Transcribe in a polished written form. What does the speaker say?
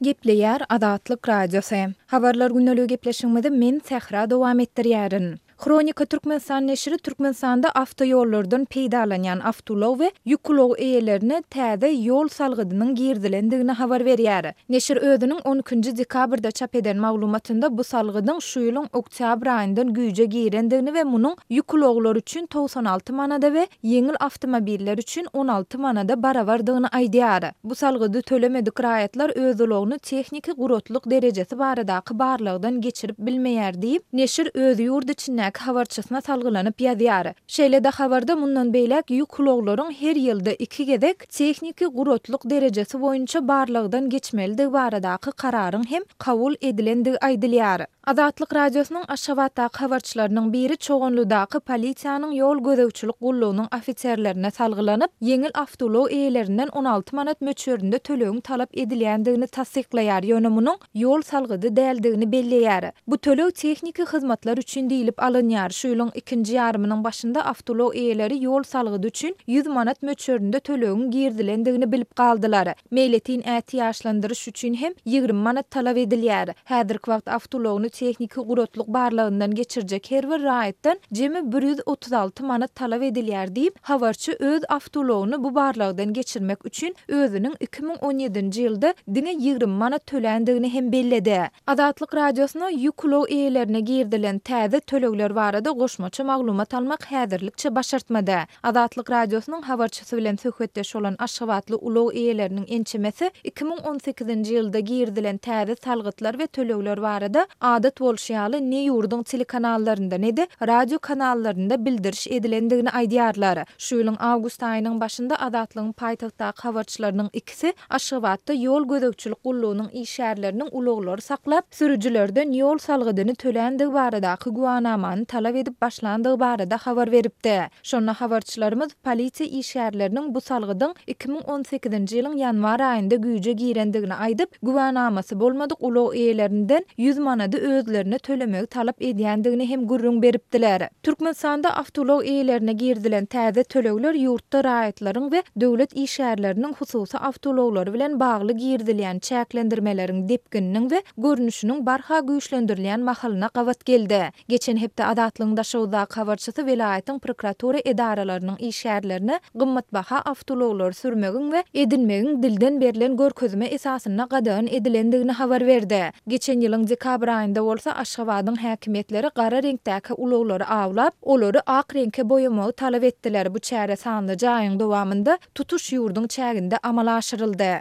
Gepleýär Azatlyk Radiosy. Habarlar gündeligi gepleşigimizi men Sähra dowam etdirýärin. Hronika Türkmenistan neşiri Türkmenistanda awtoýollardan peýdalanýan awtoulag we ýük ulag eýelerine täze ýol salgydynyň girizilendigini habar berýär. Neşir özüniň on ikinji dekabrda çap eden maglumatynda bu salgydyň şu ýylyň oktýabr aýyndan güýje girendigini we munuň ýük ulaglary üçin 96 manada we ýeňil awtomobiller üçin 16 manada barabardygyny aýdýar. Bu salgydy tölemedik raýatlar öz ulagyny tehniki guratlyk derejesi baradaky barlagdan geçirip bilmeýär diýip, neşir öz ýurt içindäki habarçysyna salgylanyp ýazýar. Şeýle-de habarda mundan beýläk ýük ulaglaryň her ýylda iki gezek tehniki guratlyk derejesi boýunça barlagdan geçmelidigi baradaky kararyň hem kabul edilendigi aýdylýar. Azatlyk Radiosynyň Aşgabatdaky habarçylarynyň biri Çoganlydaky polisiýanyň ýol gözegçilik gullugynyň ofiserlerine salgylanyp, ýeňil awtoulag eýelerinden 16 manat möçberinde tölegiň talap edilýändigini tassyklaýar, ýöne munuň ýol salgydy däldigini belleýär. Bu töleg tehniki hyzmatlar üçin diýlip alynýar. Şu ýylyň ikinji ýarymynyň başynda awtoulag eýeleri ýol salgydy üçin 100 manat möçberinde tölegiň girizilendigini bilip galdylar. Meýletin ätiýaçlandyryş üçin hem 20 manat talap edilýär. Häzirki wagt awtoulagyny tehniki guratlyk barlagyndan geçirjek her bir raýatdan jemi 136 manat talap edilýär diýip, habarçy öz awtoulagyny bu barlagdan geçirmek üçin özüniň 2017-nji ýylda diňe 20 manat töländigini hem belledi. Azatlyk Radiosyna ýük ulag eýelerine girizilen täze tölegler barada goşmaça maglumat almak häzirlikçe başartmady. Azatlyk Radiosynyň habarçysy bilen söhbetdeş bolan aşgabatly ulag eýeleriniň ençemesi 2018-nji ýylda girizilen täze salgytlar we tölegler barada adat bolşy ýaly ne ýurduň telekanallarynda ne-de radio kanallarynda bildiriş edilendigini aýdýarlar. Şu ýylyň awgust aýynyň başynda Azatlygyň paýtagtdaky habarçylarynyň ikisi Aşgabatda ýol gözegçilik gullugynyň işgärleriniň ulaglary saklap, sürüjilerden ýol salgydyny töländigi baradaky güwanamany talap edip başlandygy barada habar beripdi. Şonda habarçylarymyz polisiýa işgärleriniň bu salgydyň 2018-nji ýylyň ýanwar aýynda güýje girendigini aýdyp, güwänamasy bolmadyk ulag eýelerinden 100 manady özlerine tölemegi talap edýändigini hem gürrüň beripdiler. Türkmenistanda awtoulag eýelerine girizilen täze tölegler ýurtda raýatlaryň we döwlet işgärleriniň hususy awtoulaglary bilen bagly girizilýän çäklendirmeleriň depgininiň we görnüşiniň barha güýçlendirilýän mahalyna gabat geldi. Geçen hepde Azatlygyň Daşoguzdaky habarçysy welaýatyň prokuratura edaralarynyň işgärlerine gymmatbaha awtoulaglary sürmegiň we edinmegiň dilden berlen görkezme esasynda gadagan edilendigini habar berdi. Geçen ýylyň dekabr aýynda bolsa Aşgabadyň häkimiýetleri gara reňkdäki ulaglary awlap, olary ak reňke boýamagy talap etdiler. Bu çäre sanlyja aýyň dowamynda tutuş ýurduň çäginde amala aşyryldy.